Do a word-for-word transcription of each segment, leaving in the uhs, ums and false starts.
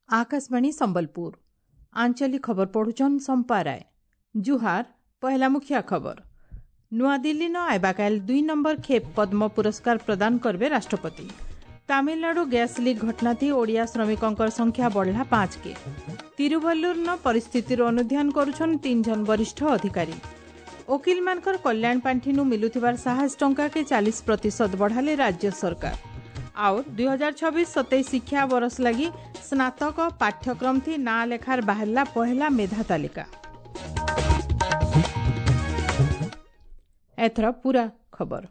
आकाशवाणी संबलपुर आंचलिक खबर पढ़ुछन सम्पा राय। जुहार। पहला मुखिया खबर। नୂआदिल्ली न आइबाकाल दुई नंबर खेप पद्म पुरस्कार प्रदान करबे राष्ट्रपति। तामिलनाडु गैस लीक घटना थी ओडिया श्रमिकंकर संख्या बढ़ला पाँच के। तिरुवल्लुर न परिस्थितिर अनुध्यान करुछन तीन जन वरिष्ठ अधिकारी। वकील मानकर कल्याण पाण्ठिनु मिलुथिबार साहस टंका के चालीस प्रतिशत बढ़ाले राज्य सरकार। और दुई हजार छब्बीस सतेईस शिक्षा बरस लगी स्नातक पाठ्यक्रम थी ना लेखार बाहरला पहला मेधा तालिका। एथर पूरा खबर।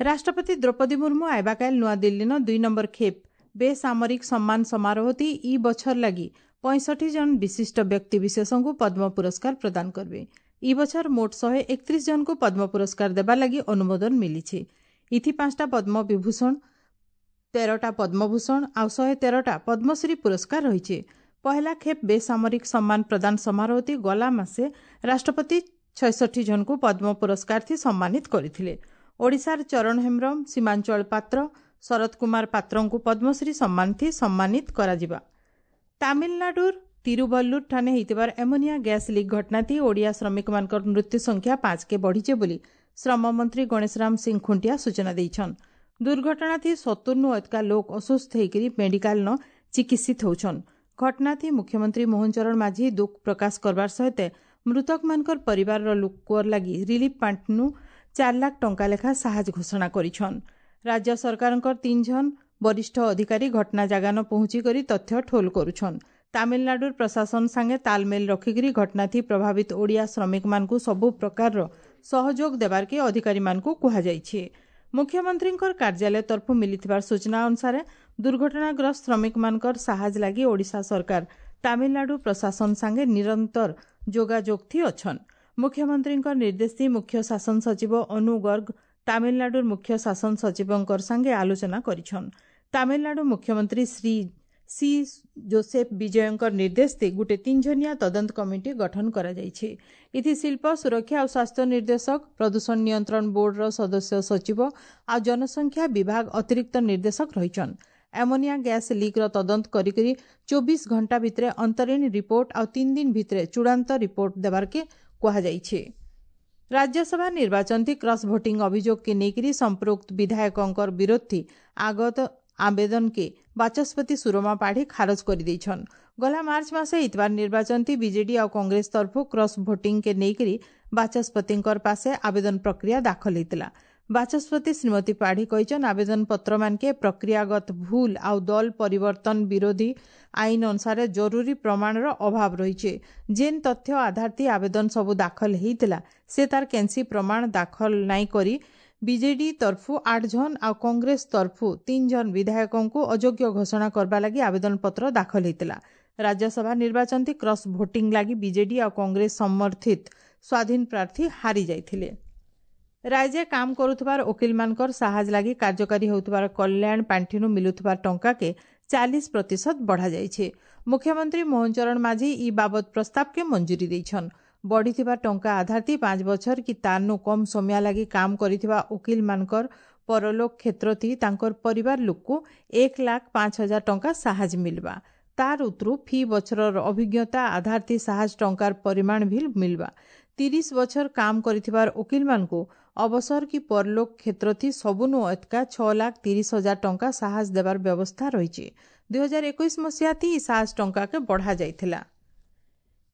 राष्ट्रपति द्रौपदी मुर्मू आइबाकाल नूआदिल्ली न दुई नंबर खेप बेसामरिक सम्मान समारोह थी ई बछर लगी पैंसठी जन विशिष्ट व्यक्ति विशेषଙ୍କୁ पद्म पुरस्कार प्रदान करबे। ई बछर मोट शहे एकत्रिश जन को पद्म पुरस्कार देवा लगी अनुमोदन मिलिছে। इथि पांचटा पद्म विभूषण, तेरहटा पद्मभूषण आउ शहे तेरहटा पद्मश्री पुरस्कार रहिছে। पहला खेप बेसामरिक सम्मान प्रदान समारोह थी गला मासे राष्ट्रपति छयसठी जन को पद्म पुरस्कार थी सम्मानित करिथिले। ओडिशार चरण हेम्ब्रम, सीमांचल पात्र, शरद कुमार पात्रଙ୍କୁ पद्मश्री सम्मान थी सम्मानित कराଯିବା। तामिलनाडुर तिरुवल्लुर ठाने हेइतिबार एमोनिया गैस लीक घटना थी ओडिया श्रमिक मानकर मृत्यु संख्या पाँच के बढ़िছে बोली श्रम मंत्री गणेशराम सिंह खुंटिया सूचना देइछन। दुर्घटना थी सत्तुरनु अतका लोक अस्वस्थ होइकरी मेडिकल न चिकित्सित होछन। घटना थी मुख्यमंत्री मोहन चरण माझी दुख प्रकाश करबार सहित मृतक मानकर परिवार र लोकर लागि रिलीफ पाण्ठनु चार लाख टंका लेखा साहाଯ୍य घोषणा करिछन। राज्य सरकारंकर तीन जन वरिष्ठ अधिकारी घटना जागा न पहुंची करी तथ्य ठोल करुछन। तामिलनाडुर प्रशासन संगे तालमेल रखिकरी घटना थी प्रभावित ओडिया श्रमिक मानकु सबु प्रकार सहयोग देबार के अधिकारी मानकु कुहा जाइछि। मुख्यमंत्रींकर कार्यालय तरफ मिलिथिबार सूचना अनुसार दुर्घटनाग्रस्त श्रमिक मानकर साहाଯ୍य लागि ओडिशा सरकार तामिलनाडु प्रशासन संगे निरंतर जोगाजोग थी अछन। मुख्यमंत्रींकर निर्देश थी मुख्य शासन सचिव अनु गर्ग तामिलनाडुर मुख्य शासन सचिवंकर संगे आलोचना करिछन। तामिलनाडु मुख्यमंत्री श्री सी जोसेफ विजयंकर निर्देश थी गुटे तीन जनिया तदंत कमिटी गठन करा जाइछि। इथि शिल्प सुरक्षा और स्वास्थ्य निर्देशक, प्रदूषण नियंत्रण बोर्ड र सदस्य सचिव आ जनसंख्या विभाग अतिरिक्त निर्देशक रहिछन। एमोनिया गैस लीक र तदंत करी चौबीस घंटा भितरे अंतरीण रिपोर्ट आ तीन दिन भितरे चूड़ांत रिपोर्ट देबार के कुहा जाइछि। राज्यसभा निर्वाचन थी क्रॉस वोटिंग अभियोग के नेकरी संपृक्त विधायकंकर विरोध थी आगत आवेदन के वाचस्पति सुरमा पाढ़ी खारज कर देइछन। गला मार्च मासे इतवार निर्वाचन थी बीजेडी और कांग्रेस तरफ क्रॉस वोटिंग के नेकरी वाचस्पतिंकर पासे आवेदन प्रक्रिया दाखल होइतला। वाचस्पति श्रीमती पाढ़ी कहिछन आवेदन पत्र मानके प्रक्रियागत भूल आउ दल परिवर्तन विरोधी आईन अनुसार जरूरी प्रमाणर अभाव रहिছে। जेन तथ्य आधार ती आवेदन सबु दाखल होइतला से तार केनसी प्रमाण दाखल नाई करी बीजेडी तरफु आठ जन आ कांग्रेस तरफु तीन जन विधायकଙ୍କୁ अयोग्य घोषणा करबा लागि आवेदन पत्र दाखल होइतला। राज्यसभा निर्वाचन थी क्रॉस वोटिंग लागि बीजेडी आ कांग्रेस समर्थित स्वाधीन प्रार्थी हारी जाइथिले। राज्य काम करुथिबार वकील मानकर साहाଯ୍य लागि कार्यकारी होउथिबार कल्याण पाण्ठिनु मिलुथिबार टंका के चालीस प्रतिशत बढ़ा जाइছে। मुख्यमंत्री मोहन चरण माझी ई बाबद प्रस्ताव के मंजूरी देइछन। बढ़िथिबा टंका आधार ती पाँच बछर कि तारनु कम समय लागि काम करिथिबा वकील मानकर परलोक क्षेत्र थी तांकर परिवार लोकको एक लाख पाँच हजार टंका साहाଯ୍य मिलबा। तार उतरु फी बछरर अभिज्ञता आधार ती साहाଯ୍य टंकार परिमाण भी मिलबा। तीस बछर काम करिथिबार वकील मानकु अवसर कि परलोक क्षेत्र थी सबुनु अतका छह लाख तीस हजार टंका साहाଯ୍य देबार व्यवस्था रहिছে। दुई हजार एकुश मसीहा थी साहाଯ୍य टंका के बढ़ा जाइथिला।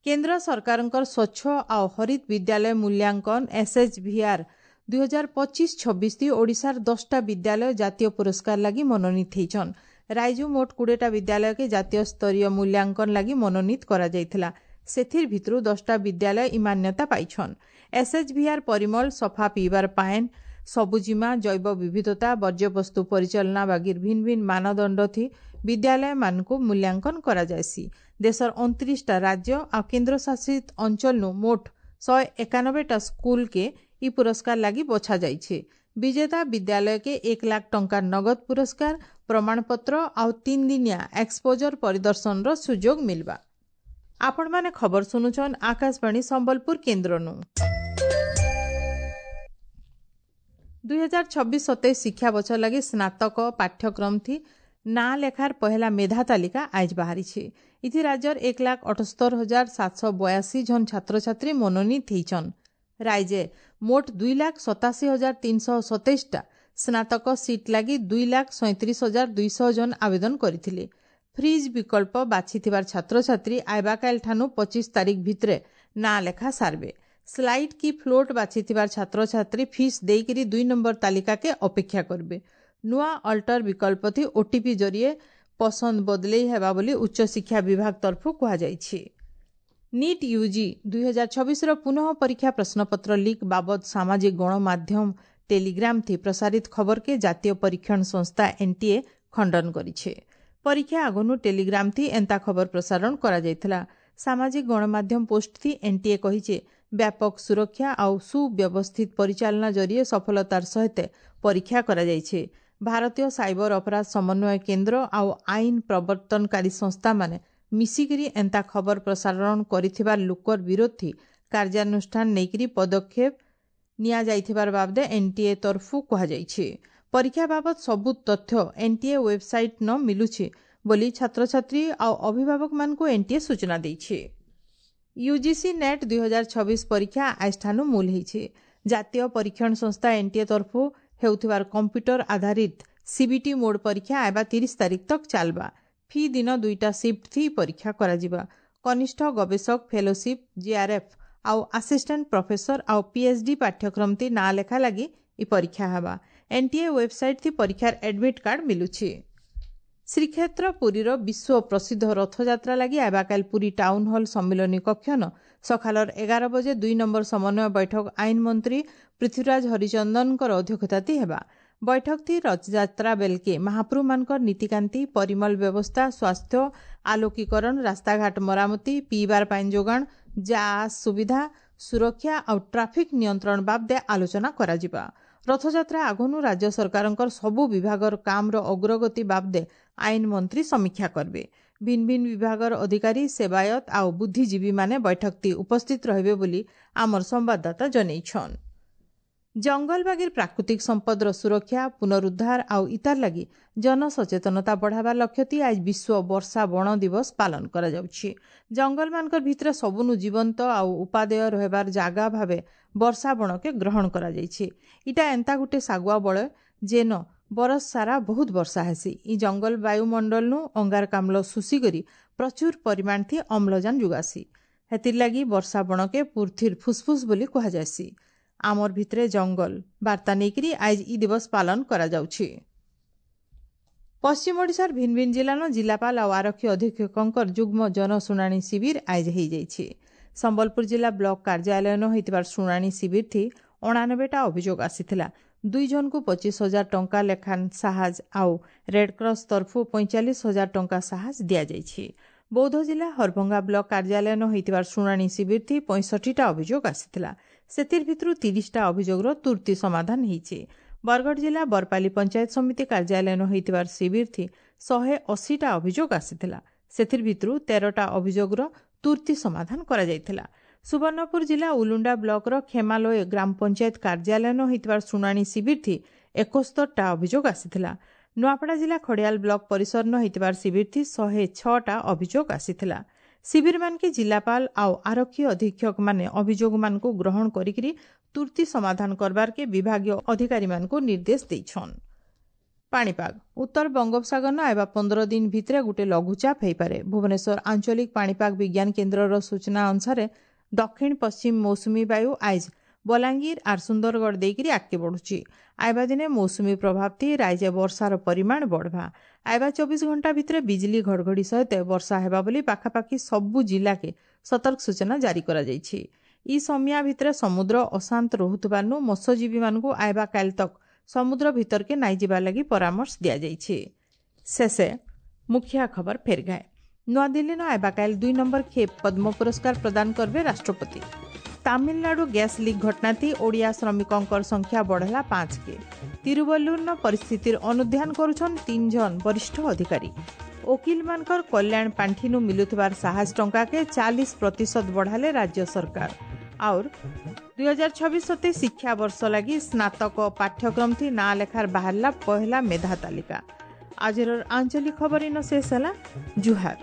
केंद्र सरकारंकर स्वच्छ आ हरित विद्यालय मूल्यांकन एसएचवीआर दुई हजार पच्चीस छब्बीस थी ओडिशार दसटा विद्यालय जातीय पुरस्कार लागि मनोनीत होइछन। राज्य मोट कुड़ेटा विद्यालय के जातीय स्तरीय मूल्यांकन लागि मनोनीत करा जाइथिला। सेथिर भितरु दसटा विद्यालय इ मान्यता पाइछन। एसएचवीआर परिमल, सफा पीबार पाएन, सबुजिमा, जैव विविधता, वर्ज्यवस्तु परिचालना बागीर भिन्न भिन्न मानदंड थी विद्यालय मानकु मूल्यांकन करा जायसी। देशर उनतीसटा राज्य आ केंद्र शासित अंचल नु मोट शहे एकानबेटा स्कूल के इ पुरस्कार लागि बछा जाइছে। विजेता विद्यालय के एक लाख टंका नगद पुरस्कार, प्रमाणपत्र आउ तीन दिनिया एक्सपोजर परिदर्शन र सुযোগ मिलबा। आपण माने खबर सुनुछन आकाशवाणी संबलपुर केंद्र नु। ଦୁଇ ହଜାର ଛବିଶ ସତେଇଶ ଶିକ୍ଷା ବଛର ଲାଗି ସ୍ନାତକ ପାଠ୍ୟକ୍ରମ ଥି ନାଁ ଲେଖାର ପହେଲା ମେଧା ତାଲିକା ଆଇଜ ବାହାରିଛି। ଇଥି ରାଜ୍ୟର ଏକ ଲାଖ ଅଠସ୍ତର ହଜାର ସାତଶହ ବୟାଅଶୀ ଜଣ ଛାତ୍ରଛାତ୍ରୀ ମନୋନୀତ ହେଇଛନ୍। ରାଇଜେ ମୋଟ ଦୁଇ ଲାଖ ସତାଅଶୀ ହଜାର ତିନିଶହ ସତେଇଶଟା ସ୍ନାତକ ସିଟ୍ ଲାଗି ଦୁଇ ଲାଖ ସଇଁତିରିଶ ହଜାର ଦୁଇଶହ ଜଣ ଆବେଦନ କରିଥିଲେ। ଫ୍ରିଜ୍ ବିକଳ୍ପ ବାଛିଥିବାର ଛାତ୍ରଛାତ୍ରୀ ଆଇବାକାଇଲ ଠାନୁ ପଚିଶ ତାରିଖ ଭିତରେ ନାଁ ଲେଖା ସାରବେ। ସ୍ଲାଇଡ୍ କି ଫ୍ଲୋଟ୍ ବାଛିଥିବାର ଛାତ୍ରଛାତ୍ରୀ ଫିସ୍ ଦେଇକିରି ଦୁଇ ନମ୍ବର ତାଲିକାକେ ଅପେକ୍ଷା କରିବେ। ନୂଆ ଅଲ୍ଟର ବିକଳ୍ପ ଥି ଓଟିପି ଜରିଏ ପସନ୍ଦ ବଦଲେଇ ହେବା ବୋଲି ଉଚ୍ଚଶିକ୍ଷା ବିଭାଗ ତରଫରୁ କୁହାଯାଇଛି। ନିଟ୍ ୟୁଜି ଦୁଇ ହଜାର ଛବିଶର ପୁନଃ ପରୀକ୍ଷା ପ୍ରଶ୍ନପତ୍ର ଲିକ୍ ବାବଦ ସାମାଜିକ ଗଣମାଧ୍ୟମ ଟେଲିଗ୍ରାମ ଥି ପ୍ରସାରିତ ଖବରକେ ଜାତୀୟ ପରୀକ୍ଷଣ ସଂସ୍ଥା ଏନ୍ଟିଏ ଖଣ୍ଡନ କରିছে। ପରୀକ୍ଷା ଆଗନୁ ଟେଲିଗ୍ରାମ ଥି ଏନ୍ତା ଖବର ପ୍ରସାରଣ କରାଯାଇଥିଲା। ସାମାଜିକ ଗଣମାଧ୍ୟମ ପୋଷ୍ଟ ଥି ଏନ୍ଟିଏ କହିছে, ବ୍ୟାପକ ସୁରକ୍ଷା ଆଉ ସୁବ୍ୟବସ୍ଥିତ ପରିଚାଳନା ଜରିଏ ସଫଳତାର ସହିତ ପରୀକ୍ଷା କରାଯାଇଛି। ଭାରତୀୟ ସାଇବର ଅପରାଧ ସମନ୍ୱୟ କେନ୍ଦ୍ର ଆଉ ଆଇନ ପ୍ରବର୍ତ୍ତନକାରୀ ସଂସ୍ଥାମାନେ ମିଶିକିରି ଏନ୍ତା ଖବର ପ୍ରସାରଣ କରିଥିବା ଲୋକର ବିରୋଧୀ କାର୍ଯ୍ୟାନୁଷ୍ଠାନ ନେଇକିରି ପଦକ୍ଷେପ ନିଆଯାଇଥିବାର ବାବଦେ ଏନ୍ଟିଏ ତରଫୁ କୁହାଯାଇଛି। ପରୀକ୍ଷା ବାବଦ ସବୁ ତଥ୍ୟ ଏନ୍ଟିଏ ୱେବସାଇଟ୍ ନ ମିଲୁଛି ବୋଲି ଛାତ୍ରଛାତ୍ରୀ ଆଉ ଅଭିଭାବକମାନଙ୍କୁ ଏନ୍ଟିଏ ସୂଚନା ଦେଇଛି। ୟୁଜିସି ନେଟ୍ ଦୁଇ ହଜାର ଛବିଶ ପରୀକ୍ଷା ଆଜିଠାନୁ ମୂଲ ହେଇଛି। ଜାତୀୟ ପରୀକ୍ଷଣ ସଂସ୍ଥା ଏନ୍ଟିଏ ତରଫୁ ହେଉଥିବାର କମ୍ପ୍ୟୁଟର ଆଧାରିତ ସିବିଟି ମୋଡ୍ ପରୀକ୍ଷା ଆଇବା ତିରିଶ ତାରିଖ ତକ୍ ଚାଲବା। ଫି ଦିନ ଦୁଇଟା ସିଫ୍ଟ ଥି ପରୀକ୍ଷା କରାଯିବା। କନିଷ୍ଠ ଗବେଷକ ଫେଲୋସିପ୍ ଜିଆର୍ଏଫ୍ ଆଉ ଆସିଷ୍ଟାଣ୍ଟ ପ୍ରଫେସର ଆଉ ପିଏଚ୍ଡି ପାଠ୍ୟକ୍ରମ ଥି ନାଁ ଲେଖା ଲାଗି ଇ ପରୀକ୍ଷା ହେବା। ଏନ୍ଟିଏ ୱେବସାଇଟ୍ ଥି ପରୀକ୍ଷାର ଆଡମିଟ୍ କାର୍ଡ ମିଲୁଛି। ଶ୍ରୀକ୍ଷେତ୍ର ପୁରୀର ବିଶ୍ୱ ପ୍ରସିଦ୍ଧ ରଥଯାତ୍ରା ଲାଗି ଆବାକାଲ ପୁରୀ ଟାଉନ୍ ହଲ୍ ସମ୍ମିଳନୀ କକ୍ଷନ ସକାଳର ଏଗାର ବଜେ ଦୁଇ ନମ୍ବର ସମନ୍ୱୟ ବୈଠକ ଆଇନ ମନ୍ତ୍ରୀ ପୃଥ୍ୱୀରାଜ ହରିଚନ୍ଦନଙ୍କର ଅଧ୍ୟକ୍ଷତାତି ହେବା। ବୈଠକ ଥି ରଥଯାତ୍ରା ବେଲକେ ମହାପ୍ରଭୁମାନଙ୍କର ନୀତିକାନ୍ତି, ପରିମଳ ବ୍ୟବସ୍ଥା, ସ୍ୱାସ୍ଥ୍ୟ, ଆଲୋକୀକରଣ, ରାସ୍ତାଘାଟ ମରାମତି, ପିଇବାର ପାଣି ଯୋଗାଣ, ଯା ସୁବିଧା, ସୁରକ୍ଷା ଆଉ ଟ୍ରାଫିକ୍ ନିୟନ୍ତ୍ରଣ ବାବଦେ ଆଲୋଚନା କରାଯିବା। ରଥଯାତ୍ରା ଆଗନୁ ରାଜ୍ୟ ସରକାରଙ୍କର ସବୁ ବିଭାଗର କାମର ଅଗ୍ରଗତି ବାବଦେ ଆଇନ ମନ୍ତ୍ରୀ ସମୀକ୍ଷା କରିବେ। ଭିନ୍ନ ଭିନ୍ନ ବିଭାଗର ଅଧିକାରୀ, ସେବାୟତ ଆଉ ବୁଦ୍ଧିଜୀବୀମାନେ ବୈଠକଟି ଉପସ୍ଥିତ ରହିବେ ବୋଲି ଆମର ସମ୍ବାଦଦାତା ଜଣାଇଛନ୍। ଜଙ୍ଗଲ ବାଗିର ପ୍ରାକୃତିକ ସମ୍ପଦର ସୁରକ୍ଷା, ପୁନରୁଦ୍ଧାର ଆଉ ଇତାର ଲାଗି ଜନସଚେତନତା ବଢ଼ାବା ଲକ୍ଷ୍ୟତି ଆজ ବିଶ୍ୱ ବର୍ଷା ବଣ ଦିବସ ପାଳନ କରାଯାଉଛି। ଜଙ୍ଗଲମାନଙ୍କର ଭିତରେ ସବୁନୁ ଜୀବନ୍ତ ଆଉ ଉପାଦେୟ ରହିବାର ଜାଗା ଭାବେ ବର୍ଷା ବଣକେ ଗ୍ରହଣ କରାଯାଇଛି। ଇଟା ଏନ୍ତା ଗୁଟେ ଶାଗୁଆ ବଳୟ ଯେନ ବରଷ ସାରା ବହୁତ ବର୍ଷା ହେସି। ଇ ଜଙ୍ଗଲ ବାୟୁମଣ୍ଡଳନୁ ଅଙ୍ଗାରକାମ୍ଳ ଶୋଷିକରି ପ୍ରଚୁର ପରିମାଣ ଥି ଅମ୍ଳଜାନ ଯୋଗାସି। ହେଥିର୍ଲାଗି ବର୍ଷା ବଣକେ ପୃଥିର ଫୁସ୍ଫୁସ୍ ବୋଲି କୁହାଯାଏସି। ଆମର ଭିତରେ ଜଙ୍ଗଲ ବାର୍ତ୍ତା ନେଇକରି ଆଜ ଇ ଦିବସ ପାଳନ କରାଯାଉଛି। ପଶ୍ଚିମ ଓଡ଼ିଶାର ଭିନ୍ନ ଭିନ୍ନ ଜିଲ୍ଲାନ ଜିଲ୍ଲାପାଳ ଆଉ ଆରକ୍ଷୀ ଅଧୀକ୍ଷକଙ୍କର ଯୁଗ୍ମ ଜନଶୁଣାଣି ଶିବିର ଆଇଜ ହେଇଯାଇଛି। ସମ୍ବଲପୁର ଜିଲ୍ଲା ବ୍ଲକ କାର୍ଯ୍ୟାଳୟନ ହୋଇଥିବାର ଶୁଣାଣି ଶିବିର ଥି ଅଣାନବେଟା ଅଭିଯୋଗ ଆସିଥିଲା। ଦୁଇ ଜଣଙ୍କୁ ପଚିଶ ହଜାର ଟଙ୍କା ଲେଖାନ୍ ସାହାଯ୍ୟ ଆଉ ରେଡ୍କ୍ରସ୍ ତରଫରୁ ପଇଁଚାଳିଶ ହଜାର ଟଙ୍କା ସାହାଯ୍ୟ ଦିଆଯାଇଛି। ବୌଦ୍ଧ ଜିଲ୍ଲା ହରଭଙ୍ଗା ବ୍ଲକ କାର୍ଯ୍ୟାଳୟନ ହୋଇଥିବାର ଶୁଣାଣି ଶିବିର ଥି ପଞ୍ଚଷଠିଟା ଅଭିଯୋଗ ଆସିଥିଲା। ସେଥିର ଭିତରୁ ତିରିଶଟା ଅଭିଯୋଗର ତୁର୍ତ୍ତି ସମାଧାନ ହେଇଛି। ବରଗଡ଼ ଜିଲ୍ଲା ବରପାଲି ପଞ୍ଚାୟତ ସମିତି କାର୍ଯ୍ୟାଳୟନ ହୋଇଥିବାର ଶିବିର ଥି ଶହେ ଅଶୀଟା ଅଭିଯୋଗ ଆସିଥିଲା। ସେଥିର ଭିତରୁ ତେରଟା ଅଭିଯୋଗର ତୁର୍ତ୍ତି ସମାଧାନ କରାଯାଇଥିଲା। ସୁବର୍ଣ୍ଣପୁର ଜିଲ୍ଲା ଉଲୁଣ୍ଡା ବ୍ଲକର ଖେମାଲୋଏ ଗ୍ରାମ ପଞ୍ଚାୟତ କାର୍ଯ୍ୟାଳୟନ ହୋଇଥିବାର ଶୁଣାଣି ଶିବିର ଥି ଏକସ୍ତରଟା ଅଭିଯୋଗ ଆସିଥିଲା। ନୂଆପଡ଼ା ଜିଲ୍ଲା ଖଡ଼ିଆଲ ବ୍ଲକ ପରିସରନ ହୋଇଥିବାର ଶିବିର ଥି ଶହେ ଛଅଟା ଅଭିଯୋଗ ଆସିଥିଲା। ଶିବିରମାନକେ ଜିଲ୍ଲାପାଳ ଆଉ ଆରକ୍ଷୀ ଅଧୀକ୍ଷକମାନେ ଅଭିଯୋଗମାନଙ୍କୁ ଗ୍ରହଣ କରିକିରି ତୁର୍ତ୍ତି ସମାଧାନ କରବାରକେ ବିଭାଗୀୟ ଅଧିକାରୀମାନଙ୍କୁ ନିର୍ଦ୍ଦେଶ ଦେଇଛନ୍। ପାଣିପାଗ ଉତ୍ତର ବଙ୍ଗୋପସାଗର ଆଇବା ପନ୍ଦର ଦିନ ଭିତରେ ଗୋଟେ ଲଘୁଚାପ ହେଇପାରେ। ଭୁବନେଶ୍ୱର ଆଞ୍ଚଳିକ ପାଣିପାଗ ବିଜ୍ଞାନ କେନ୍ଦ୍ରର ସୂଚନା ଅନୁସାରେ ଦକ୍ଷିଣ ପଶ୍ଚିମ ମୌସୁମୀ ବାୟୁ ଆଇଜ ବଲାଙ୍ଗୀର ଆର୍ ସୁନ୍ଦରଗଡ଼ ଦେଇକିରି ଆଗକେ ବଢୁଛି। ଆଇବା ଦିନେ ମୌସୁମୀ ପ୍ରଭାବ ଥି ରାଇଜେ ବର୍ଷାର ପରିମାଣ ବଢ଼ବା। ଆଇବା ଚବିଶ ଘଣ୍ଟା ଭିତରେ ବିଜଲି ଘଡ଼ଘଡ଼ି ସହିତ ବର୍ଷା ହେବା ବୋଲି ପାଖାପାଖି ସବୁ ଜିଲ୍ଲାକେ ସତର୍କ ସୂଚନା ଜାରି କରାଯାଇଛି। ଇ ସମିଆ ଭିତରେ ସମୁଦ୍ର ଅଶାନ୍ତ ରହୁଥିବାରୁ ମତ୍ସ୍ୟଜୀବୀମାନଙ୍କୁ ଆଇବା କାଲି ତକ୍ ସମୁଦ୍ର ଭିତରକେ ନାଇଁ ଯିବା ଲାଗି ପରାମର୍ଶ ଦିଆଯାଇଛି। ଶେଷେ ମୁଖିଆ ଖବର ଫେର ଗାଏ। ନୂଆଦିଲ୍ଲୀନ ଆଇବା କାଲି ଦୁଇ ନମ୍ବର ଖେପ୍ ପଦ୍ମ ପୁରସ୍କାର ପ୍ରଦାନ କରିବେ ରାଷ୍ଟ୍ରପତି। ତାମିଲନାଡୁ ଗ୍ୟାସ୍ ଲିକ୍ ଘଟଣାଥି ଓଡ଼ିଆ ଶ୍ରମିକଙ୍କର ସଂଖ୍ୟା ବଢ଼ଲା ପାଞ୍ଚକେ। ତିରୁବଲ୍ଲୁରନ ପରିସ୍ଥିତିର ଅନୁଧ୍ୟାନ କରୁଛନ୍ ତିନି ଜଣ ବରିଷ୍ଠ ଅଧିକାରୀ। ଓକିଲମାନଙ୍କର କଲ୍ୟାଣ ପାଣ୍ଠିନୁ ମିଲୁଥିବାର ସାହାଯ୍ୟ ଟଙ୍କାକେ ଚାଳିଶ ପ୍ରତିଶତ ବଢ଼ାଲେ ରାଜ୍ୟ ସରକାର। और ଦୁଇ ହଜାର ଛବିଶ ସତେଇଶ ଶିକ୍ଷାବର୍ଷ ଲାଗି ସ୍ନାତକ ପାଠ୍ୟକ୍ରମ ଥି ନାଁ ଲେଖାର ବାହାରିଲା ପହଲା ମେଧା ତାଲିକା। ଆଜିର ଆଞ୍ଚଳିକ ଖବର ଇନ ଶେଷ ହେଲା। ଜୁହାର।